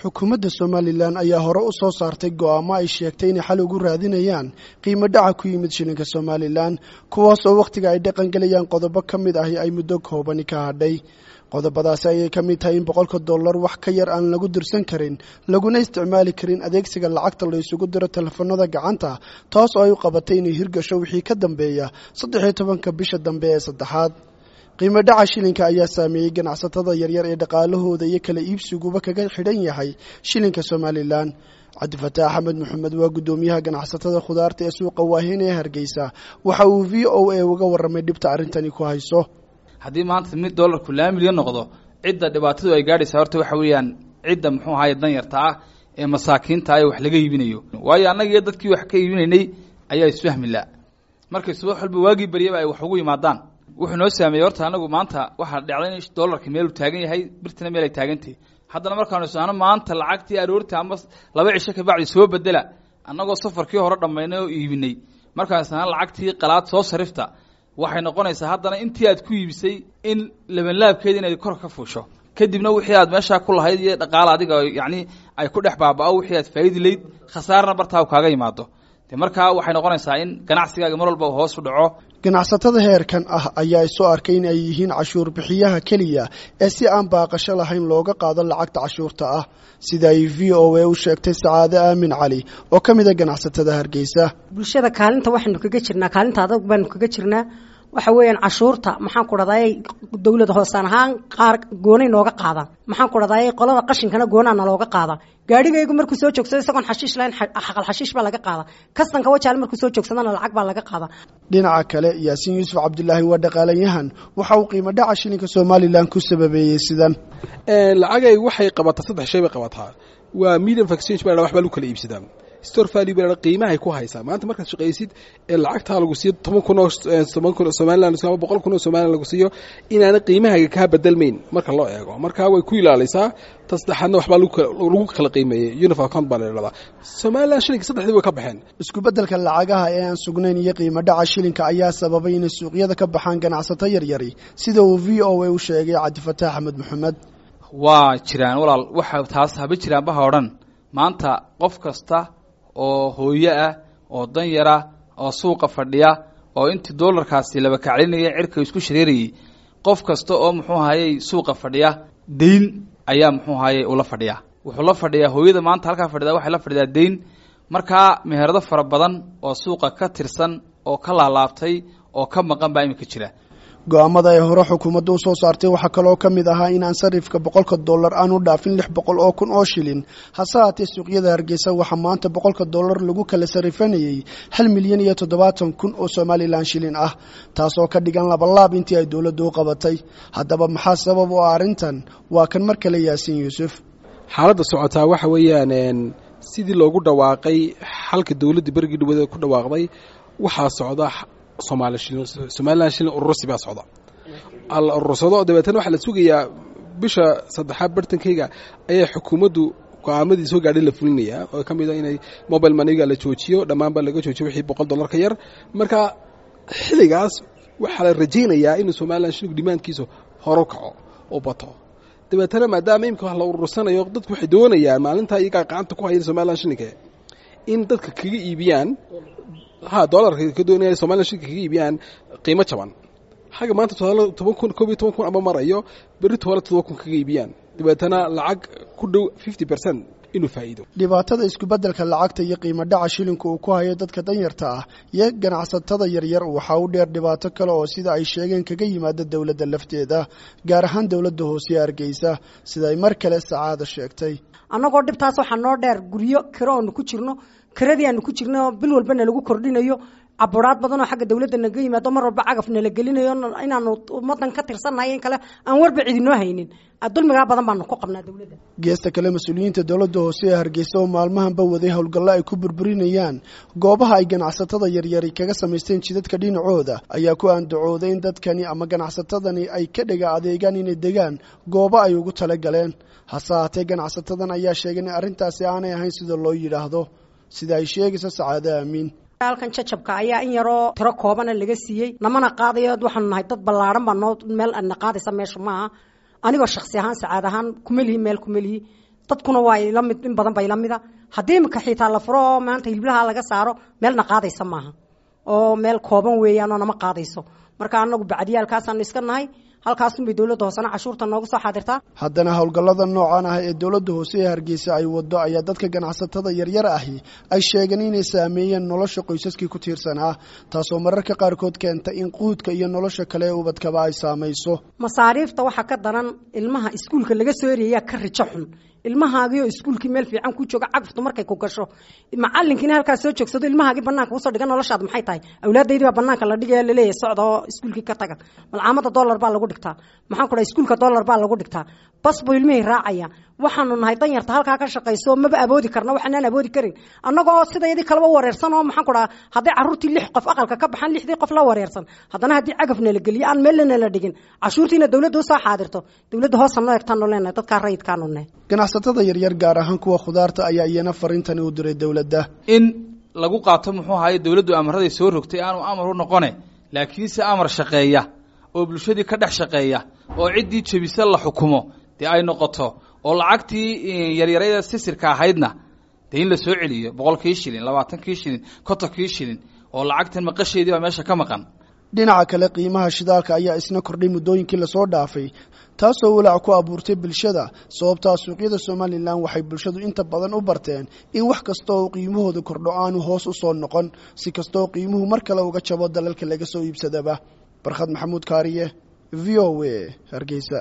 Xukuumadda Somalilan ayaa hore u soo saartay go'aamo ay sheegtay inay xal ugu raadinayaan qiimo dhaca ku yimid shilinka Somalilan, kuwaas oo wakhtiga ay dhaqangelayaan qodobo ka mid ahi ay muddo koobani ka hadhay. Qodobadaasi ayay ka mid tahay in $100 wax ka yar aan lagu dirsan karin, laguna isticmaali karin adeegsiga lacagta la isugu diro telefoonada gacanta, taas oo ay u qabatay inay hirgasho wixii ka dambeeya 13-ka bisha dambe ee saddexaad. Qiimo dhaca shilinka ayaa saameeyey ganacsatada yaryar ee dhaqaalahooda iyo kala iibsiguba kaga xidhan yahay shilinka Somalilan. Cabdifataax Axmed Maxamed waa guddoomiyaha ganacsatada khudaarta ee suuqa Waahin ee Hargeysa. Waxa uu VOA uga warramay dhibta arrintani ku hayso. Haddii maanta mid dollarku 2 milyan noqdo, cidda dhibaatadu ay gaadhaysaa horta waxa weeyaan cidda muxuu ahaye danyarta ah ee masaakiinta ah ee wax laga iibinayo, waayo annaga iyo dadkii wax ka iibinaynay ayaa isfahmi la markay subax walba waagii baryaba ay wax ugu yimaadaan. Wuxuu noo saameeyey horta anagu maanta waxaa dhacday in dollarka meeluu taagan yahay, birtina meel ay taagantahay. Haddana markaanu isnaano maanta lacagtii aroorta ama 2 cisho kabacdi soo bedela, annagoo safarkii hore dhammaynay oo iibinay, markaan isnaano lacagtii qalaad soo sarifta, waxay noqonaysaa haddana intii aad ku iibisay in labanlaabkeeda inay kor ka fuusho. Kadibna wixii aad meeshaa ku lahayd iyo dhaqaala adiga yacni ay ku dhex baaba'o, wixii aad faa'idi layd khasaarna bartaa kaaga yimaado. De markaa waxay noqonaysaa in ganacsigaaga mar walba hoos u dhaco. Ganacsatada heerkan ah ayaa isu arkay in ay yihiin cashuur bixiyaha keliya ee si aan baaqasho lahayn looga qaado lacagta cashuurta ah, sida ay VOA u sheegtay Sacaade Aamin Cali oo ka mid a ganacsatada Hargeysa. Bulshada kaalinta waxaynu kaga jirnaa, kaalinta adag baanu kaga jirnaa. Waxa weeyaan cashuurta, maxaan ku dhahday, dawlad hoosaan ahaan qaar goonay nooga qaadaan, maxaan ku dhahday, qolada qashinkana goonaa nalooga qaadaa. Gaadhigaygu markuu soo joogsado isagoon xashiish lahayn, xaqal xashiish baa laga qaadaa. Kastanka Wajaale markuu soo joogsadana lacag baa laga qaadaa. Dhinaca kale, Yaasiin Yuusuf Cabdilaahi waa dhaqaalanyahan. Waxa uu qiimo dhaca shilinka Somalilan ku sababeeyey sidan. Lacagay waxay qabataa saddex shay bay qabataa. Waa medium of exchange baa, wax baa lagu kala iibsadaa. Store value baa, qiimahay ku haysaa. Maanta markaad shaqaysid ee lacagtaa lagu siiyo 10,000 oo 10,000 oo Somaliland ama 100,000 oo Somaliland lagu siiyo, inaana qiimahaaga kaa bedelmayn marka loo eego, marka way ku ilaalisaa. Ta saddexaadna waxbaa lagu kala qiimeeyey, unit of account baa la idhahdaa. Somaliland shilinka saddexdii way ka baxeen. Isku beddelka lacagaha ee aan sugnayn iyo qiimo dhaca shilinka ayaa sababay inay suuqyada ka baxaan ganacsato yaryari, sida uu VOA u sheegay Cabdifataax Axmed Maxamed. Waa jiraan walaal, waxa taas haba jiraan baha o dhan. Maanta qof kasta oo hooyo ah oo danyara oo suuqa fadhiya oo intii dollarkaasi laba kaclinaya cirka isku shareerayey, qof kasta oo muxuu ahayey suuqa fadhiya deyn ayaa muxuu ahayey ula fadhiyaa. Wuxuu la fadhiyaa, hooyada maanta halkaa fadhida waxay la fadhidaa deyn. Markaa meherado fara badan oo suuqa ka tirsan oo ka laalaabtay oo ka maqan baa iminka jira. Go'aamada ay hore xukuumadda u soo saartay waxaa kaloo ka mid ahaa in aan sarifka $100 aanu dhaafin 600,000 oo shilin. Hase haatee, suuqyada Hargeysa waxaa maanta $100 lagu kala sarifanayey 1,070,000 oo Somalilan shilin ah, taasoo ka dhigan labalaab intii ay dowladdu u qabatay. Haddaba maxaa sabab u ah arrintan? Waa kan mar kale Yaasiin Yuusuf. Xaaladda socotaa waxa weeyaan sidii loogu dhawaaqay xalka dowladda berigii dhawada ku dhawaaqday. Waxaa socda Somaali shilin, Somaliland shilin urursi baa socda, la urursado. Dabeetana waxaa la sugayaa bisha saddexaad bartankeyga ayaa xukuumaddu go-aamadii soo gaadhay la fulinayaa, oo ka mid a inay mobile moneyga la joojiyo, dhammaanba laga joojiyo wixii $100 ka yar. Marka xilligaas waxaa la rajaynayaa inuu Somaliland shilinku dhimaankiisu horo kaco oo bato. Dabeetana maadaama imika wax la urursanayo, dadku waxay doonayaan maalintaa iyagaa gacanta ku hayan Somaliland shilinka in dadka kaga iibiyaan, ha dollarka ka doonaya Somaliland shilinka kaga iibiyaan qiimo jaban. Xagga maanta 10,000, 11,000 ama marayo, berri toole 7,000 kaga iibiyaan, dabeetana lacag ku dhow 50% inuu faa'iido. Dhibaatada isku-beddelka lacagta iyo qiimo dhaca shilinku uu ku hayo dadka danyarta ah iyo ganacsatada yaryar waxaa u dheer dhibaato kale oo sida ay sheegeen kaga yimaada dowladda lafteeda, gaar ahaan dowladda hoose ee Hargeysa, sida ay mar kale Sacaada sheegtay. Annagoo dhibtaas waxaa noo dheer guryo kiro oonu ku jirno, kiradii aanu ku jirno bil walba nalagu kordhinayo, caburaad badan oo xagga dawladda naga yimaado, mar walba cagaf nala gelinayo, inaanu ummadan ka tirsannahay in kale aan warba cidinoo haynin. Dulmigaa badan baanu ku qabnaa dawladda. Geesta kale, mas-uuliyiinta dowladda hoose ee Hargeysa oo maalmahanba waday howlgallo ay ku burburinayaan goobaha ay ganacsatada yaryari kaga samaysteen jidadka dhinacooda ayaa ku andacooday in dadkani ama ganacsatadani ay ka dhega adeegaan inay degaan goobo ay ugu tala galeen. Hase haatee, ganacsatadan ayaa sheegay in arrintaasi aanay ahayn sida loo yidhaahdo, sida ay sheegayso Sacaade Aamiin. Halkan jajabka ayaa in yaroo tiro koobana laga siiyey, namana qaadayo. Waxaanu nahay dad ballaaran baa noo meel na qaadaysa meesha maaha. Anigoo shaksi ahaan, Sacaad ahaan, kuma lihi meel, kuma lihi. Dadkuna waa ila mid, in badan ba ila mida. Haddii imika xiitaa la furo oo maanta hiliblaha laga saaro, meelna qaadaysa maaha oo meel kooban weeyaan oo nama qaadayso. Marka anagu bacdiyaalkaasaanu iska nahay, halkaasunbay dowladda hoosena cashuurta nooga soo xaadirtaa. Haddana howlgallada noocan ah ee dowladda hoose ee Hargeysa ay waddo ayaa dadka ganacsatada yaryar ahi ay sheegeen inay saameeyeen nolosha qoysaskii ku tiirsanaa, taasoo mararka qaarkood keenta in quudka iyo nolosha kale ee ubadkaba ay saamayso. Masaariifta waxaa ka daran ilmaha iskuulka laga soo ereeyaa ka rijo xun. Ilmahaagiioo iskuulkii meel fiican ku jooga, cagaftu markay ku gasho, macalinkiina halkaas soo joogsado, ilmahaagii banaanka usoo dhigan, noloshaad maxay tahay? Awlaadaydii baa banaanka la dhigaya, laleeyahay socda oo iskuulkii ka taga. Malcaamada dollar baa lagu dhigtaa, maxaan ku dhahay, iskuulka dollar baa lagu dhigtaa, bas buu ilmihii raacaya. Waxaanu nahay danyarta halkaa ka shaqayso, maba awoodi karna waxaanaan awoodi karin annagoo sidayadii kaleba wareersan oo maxaan ku dhaha, hadday carruurtii 6 qof aqalka ka baxaan, 6dii qof la wareersan. Haddana haddii cagafna la geliyo aan meelna la dhigin, cashuurtiina dowladda usoo xaadirto, dowladda hoosa noo egtaanu leenahay, dadkaa rayidkaanu nahay. Ganacsatada yaryar, gaar ahaan kuwa khudaarta, ayaa iyana fariintani u diray dowladda. In lagu qaato muxuu ahaye dowladdu amaraday soo rogtay aanu amar u noqone, laakiinse amar shaqeeya oo bulshadii ka dhex shaqeeya oo ciddii jebisa la xukumo dee ay noqoto, oo lacagtii yaryarada sisirka ahaydna dee in la soo celiyo, 100kii shilin, 20kii shilin, 50kii shilin, oo lacagtan maqasheedii baa meesha ka maqan. Dhinaca kale, qiimaha shidaalka ayaa isna kordhay muddooyinkii lasoo dhaafay, taasoo walaac ku abuurtay bulshada. Sababtaa suuqyada Somalilan waxay bulshadu inta badan u barteen in wax kasta oo qiimahooda kordho aanu hoos u soo noqon, si kastaoo qiimuhu mar kale uga jabo dalalka laga soo iibsadaba. Barkhad Maxamuud Kaariye, V O A, Hargeysa.